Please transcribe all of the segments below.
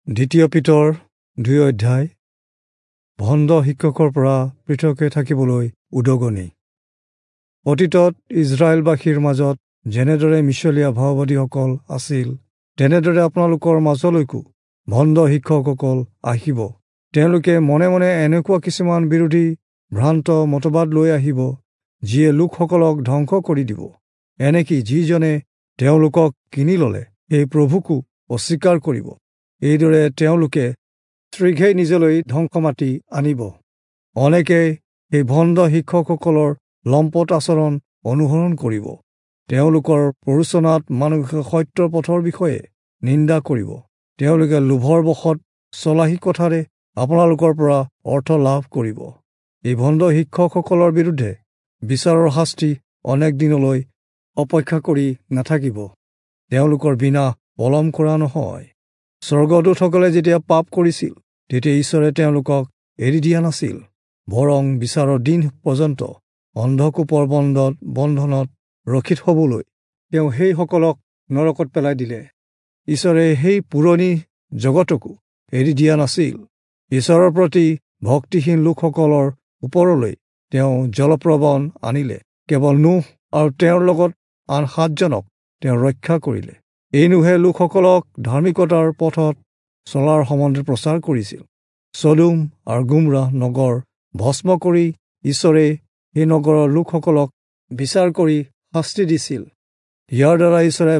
দ্বিতীয় পিতৰ 2 অধ্যায় ভণ্ড শিক্ষকৰ পৰা পৃথকে থাকিবলৈ উদগনি। অতীতত ইজৰাইলবাসীৰ মাজত যেনেদৰে মিছলীয়া ভাওবাদীসকল আছিল, তেনেদৰে আপোনালোকৰ মাজলৈকো ভণ্ড শিক্ষকসকল আহিব। তেওঁলোকে মনে মনে এনেকুৱা কিছুমান বিৰোধী ভ্ৰান্ত মতবাদ লৈ আহিব, যিয়ে লোকসকলক ধ্বংস কৰি দিব। এনেকি যিজনে তেওঁলোকক কিনি ল'লে সেই প্ৰভুকো অস্বীকাৰ কৰিব। এইদৰে তেওঁলোকে শীঘ্ৰেই নিজলৈ ধ্বংস মাতি আনিব। অনেকে সেই ভণ্ড শিক্ষকসকলৰ লম্পট আচৰণ অনুসৰণ কৰিব। তেওঁলোকৰ প্ৰৰোচনাত মানুহে সত্যৰ পথৰ বিষয়ে নিন্দা কৰিব। তেওঁলোকে লোভৰ বশত চলাহী কথাৰে আপোনালোকৰ পৰা অৰ্থ লাভ কৰিব। এই ভণ্ড শিক্ষকসকলৰ বিৰুদ্ধে বিচাৰৰ শাস্তি অনেক দিনলৈ অপেক্ষা কৰি নাথাকিব। তেওঁলোকৰ বিনাশ পলম কৰা নহয়। স্বৰ্গদূতসকলে যেতিয়া পাপ কৰিছিল, তেতিয়া ঈশ্বৰে তেওঁলোকক এৰি দিয়া নাছিল, বৰং বিচাৰৰ দিন পৰ্যন্ত অন্ধকূপৰ বন্ধনত ৰক্ষিত হ'বলৈ তেওঁ সেইসকলক নৰকত পেলাই দিলে। ঈশ্বৰে সেই পুৰণি জগতকো এৰি দিয়া নাছিল। ঈশ্বৰৰ প্ৰতি ভক্তিহীন লোকসকলৰ ওপৰলৈ তেওঁ জলপ্ৰৱণ আনিলে। কেৱল নুহ আৰু তেওঁৰ লগত আন 7জনক তেওঁ ৰক্ষা কৰিলে। এই নুহে লোকসকলক ধাৰ্মিকতাৰ পথত চলাৰ সম্বন্ধে প্ৰচাৰ কৰিছিল। চদোম আৰু গুমৰাহ নগৰ ভস্ম কৰি ঈশ্বৰে সেই নগৰৰ লোকসকলক বিচাৰ কৰি শাস্তি দিছিল। ইয়াৰ দ্বাৰা ঈশ্বৰে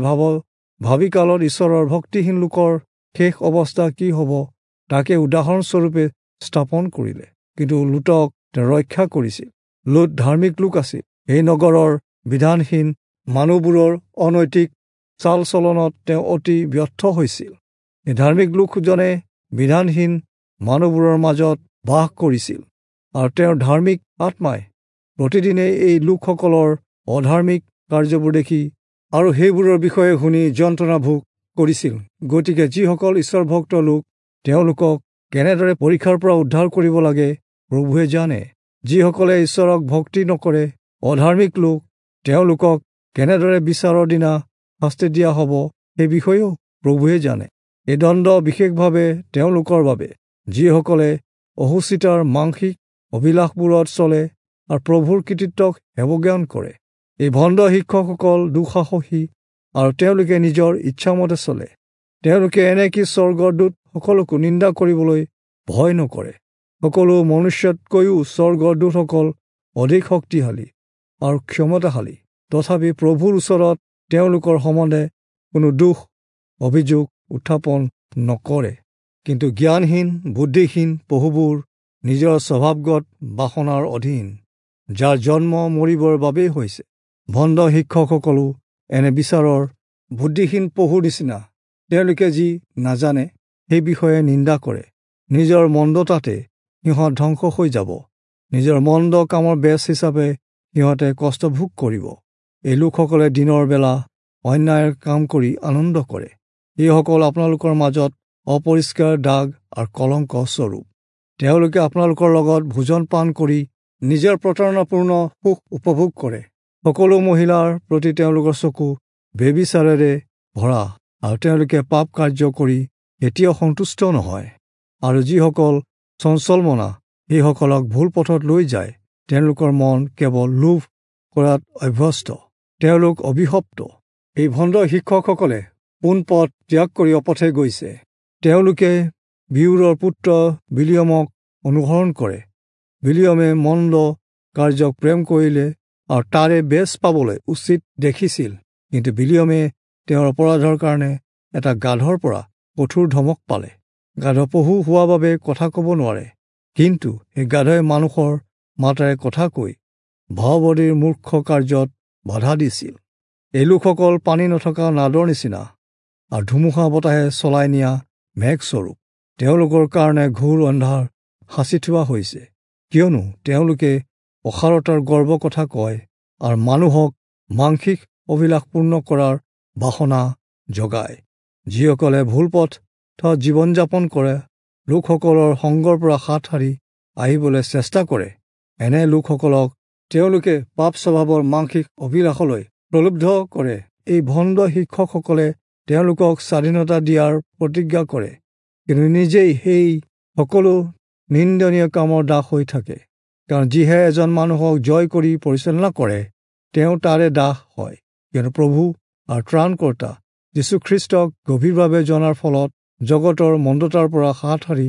ভাবি কালত ঈশ্বৰৰ ভক্তিহীন লোকৰ শেষ অৱস্থা কি হ'ব তাকে উদাহৰণস্বৰূপে স্থাপন কৰিলে। কিন্তু লোটক তেওঁ ৰক্ষা কৰিছিল। লোট ধাৰ্মিক লোক আছিল। এই নগৰৰ বিধানহীন মানুহবোৰৰ অনৈতিক চাল চলনত তেওঁ অতি ব্যৰ্থ হৈছিল। এই ধাৰ্মিক লোকজনে বিধানহীন মানুহবোৰৰ মাজত বাস কৰিছিল আৰু তেওঁৰ ধাৰ্মিক আত্মাই প্ৰতিদিনে এই লোকসকলৰ অধাৰ্মিক কাৰ্যবোৰ দেখি আৰু সেইবোৰৰ বিষয়ে শুনি যন্ত্ৰণা ভোগ কৰিছিল। গতিকে যিসকল ঈশ্বৰভক্ত লোক, তেওঁলোকক কেনেদৰে পৰীক্ষাৰ পৰা উদ্ধাৰ কৰিব লাগে প্ৰভুৱে জানে। যিসকলে ঈশ্বৰক ভক্তি নকৰে, অধাৰ্মিক লোক, তেওঁলোকক কেনেদৰে বিচাৰৰ দিনা শাস্তি দিয়া হ'ব সেই বিষয়েও প্ৰভুৱে জানে। এই দণ্ড বিশেষভাৱে তেওঁলোকৰ বাবে, যিসকলে অসুচিতাৰ মাংসিক অভিলাষবোৰত চলে আৰু প্ৰভুৰ কৃতিত্বক হেৱজ্ঞান কৰে। এই ভণ্ড শিক্ষকসকল দুঃসাহসী আৰু তেওঁলোকে নিজৰ ইচ্ছামতে চলে। তেওঁলোকে এনেকি স্বৰ্গদূতসকলকো নিন্দা কৰিবলৈ ভয় নকৰে। সকলো মনুষ্যতকৈও স্বৰ্গদূতসকল অধিক শক্তিশালী আৰু ক্ষমতাশালী। তথাপি প্ৰভুৰ ওচৰত তেওঁলোকৰ সম্বন্ধে কোনো দোষ অভিযোগ উত্থাপন নকৰে। কিন্তু জ্ঞানহীন বুদ্ধিহীন পশুবোৰ নিজৰ স্বভাৱগত বাসনাৰ অধীন, যাৰ জন্ম মৰিবৰ বাবেই হৈছে। ভণ্ড শিক্ষকসকলো এনে বিচাৰৰ বুদ্ধিহীন পশুৰ নিচিনা। তেওঁলোকে যি নাজানে সেই বিষয়ে নিন্দা কৰে। নিজৰ মন্দতাতে সিহঁত ধ্বংস হৈ যাব। নিজৰ মন্দ কামৰ বেচ হিচাপে সিহঁতে কষ্ট ভোগ কৰিব। এই লোকসকলে দিনৰ বেলা অন্যায়ৰ কাম কৰি আনন্দ কৰে। এইসকল আপোনালোকৰ মাজত অপৰিষ্কাৰ দাগ আৰু কলংক স্বৰূপ। তেওঁলোকে আপোনালোকৰ লগত ভোজন পান কৰি নিজৰ প্ৰতাৰণাপূৰ্ণ সুখ উপভোগ কৰে। সকলো মহিলাৰ প্ৰতি তেওঁলোকৰ চকু ব্যভিচাৰেৰে ভৰা আৰু তেওঁলোকে পাপ কাৰ্য কৰি এতিয়াও সন্তুষ্ট নহয়। আৰু যিসকল চঞ্চলমনা, সেইসকলক ভুল পথত লৈ যায়। তেওঁলোকৰ মন কেৱল লোভ কৰাত অভ্যস্ত। তেওঁলোক অভিশপ্ত। এই ভণ্ড শিক্ষকসকলে পোন পথ ত্যাগ কৰি অপথে গৈছে। তেওঁলোকে বিউৰৰ পুত্ৰ বিলিয়মক অনুসৰণ কৰে। বিলিয়মে মন্দ কাৰ্যক প্ৰেম কৰিলে আৰু তাৰে বেচ পাবলৈ উচিত দেখিছিল। কিন্তু বিলিয়মে তেওঁৰ অপৰাধৰ কাৰণে এটা গাধৰ পৰা কঠোৰ ধমক পালে। গাধ পশু হোৱা বাবে কথা ক'ব নোৱাৰে, কিন্তু সেই গাধই মানুহৰ মাতেৰে কথা কৈ ভাওবাদীৰ মূৰ্খ কাৰ্যত বাধা দিছিল। এই লোকসকল পানী নথকা নাদৰ নিচিনা আৰু ধুমুহা বতাহে চলাই নিয়া মেঘস্বৰূপ। তেওঁলোকৰ কাৰণে ঘোৰ অন্ধাৰ সাঁচি থোৱা হৈছে, কিয়নো তেওঁলোকে অসাৰতাৰ গৰ্ব কথা কয় আৰু মানুহক মাংসিক অভিলাষ পূৰ্ণ কৰাৰ বাসনা জগায়। যিসকলে ভুল পথত জীৱন যাপন কৰে, লোকসকলৰ সংগৰ পৰা হাত সাৰি আহিবলৈ চেষ্টা কৰে, এনে লোকসকলক তেওঁলোকে পাপ স্বভাৱৰ মাংসিক অভিলাষলৈ প্ৰলুব্ধ কৰে। এই ভণ্ড শিক্ষকসকলে তেওঁলোকক স্বাধীনতা দিয়াৰ প্ৰতিজ্ঞা কৰে, কিন্তু নিজেই সেই সকলো নিন্দনীয় কামৰ দাস হৈ থাকে। কাৰণ যিহে এজন মানুহক জয় কৰি পৰিচালনা কৰে, তেওঁ তাৰে দাস হয়। কিন্তু প্ৰভু আৰু ত্ৰাণকৰ্তা যীশুখ্ৰীষ্টক গভীৰভাৱে জনাৰ ফলত জগতৰ মন্দতাৰ পৰা হাত সাৰি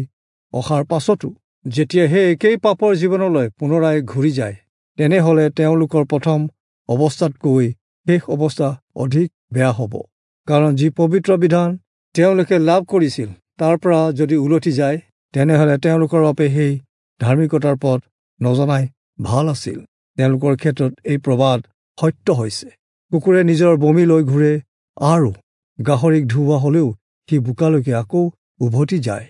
অহাৰ পাছতো যেতিয়া সেই একেই পাপৰ জীৱনলৈ পুনৰাই ঘূৰি যায়, তেনেহ'লে তেওঁলোকৰ প্ৰথম অৱস্থাতকৈ শেষ অৱস্থা অধিক বেয়া হ'ব। কাৰণ যি পবিত্ৰ বিধান তেওঁলোকে লাভ কৰিছিল, তাৰ পৰা যদি উলটি যায়, তেনেহ'লে তেওঁলোকৰ বাবে সেই ধাৰ্মিকতাৰ পথ নজনাই ভাল আছিল। তেওঁলোকৰ ক্ষেত্ৰত এই প্ৰবাদ সত্য হৈছে, কুকুৰে নিজৰ বমি লৈ ঘূৰে আৰু গাহৰিক ধুওৱা হ'লেও সি বোকালৈকে আকৌ উভতি যায়।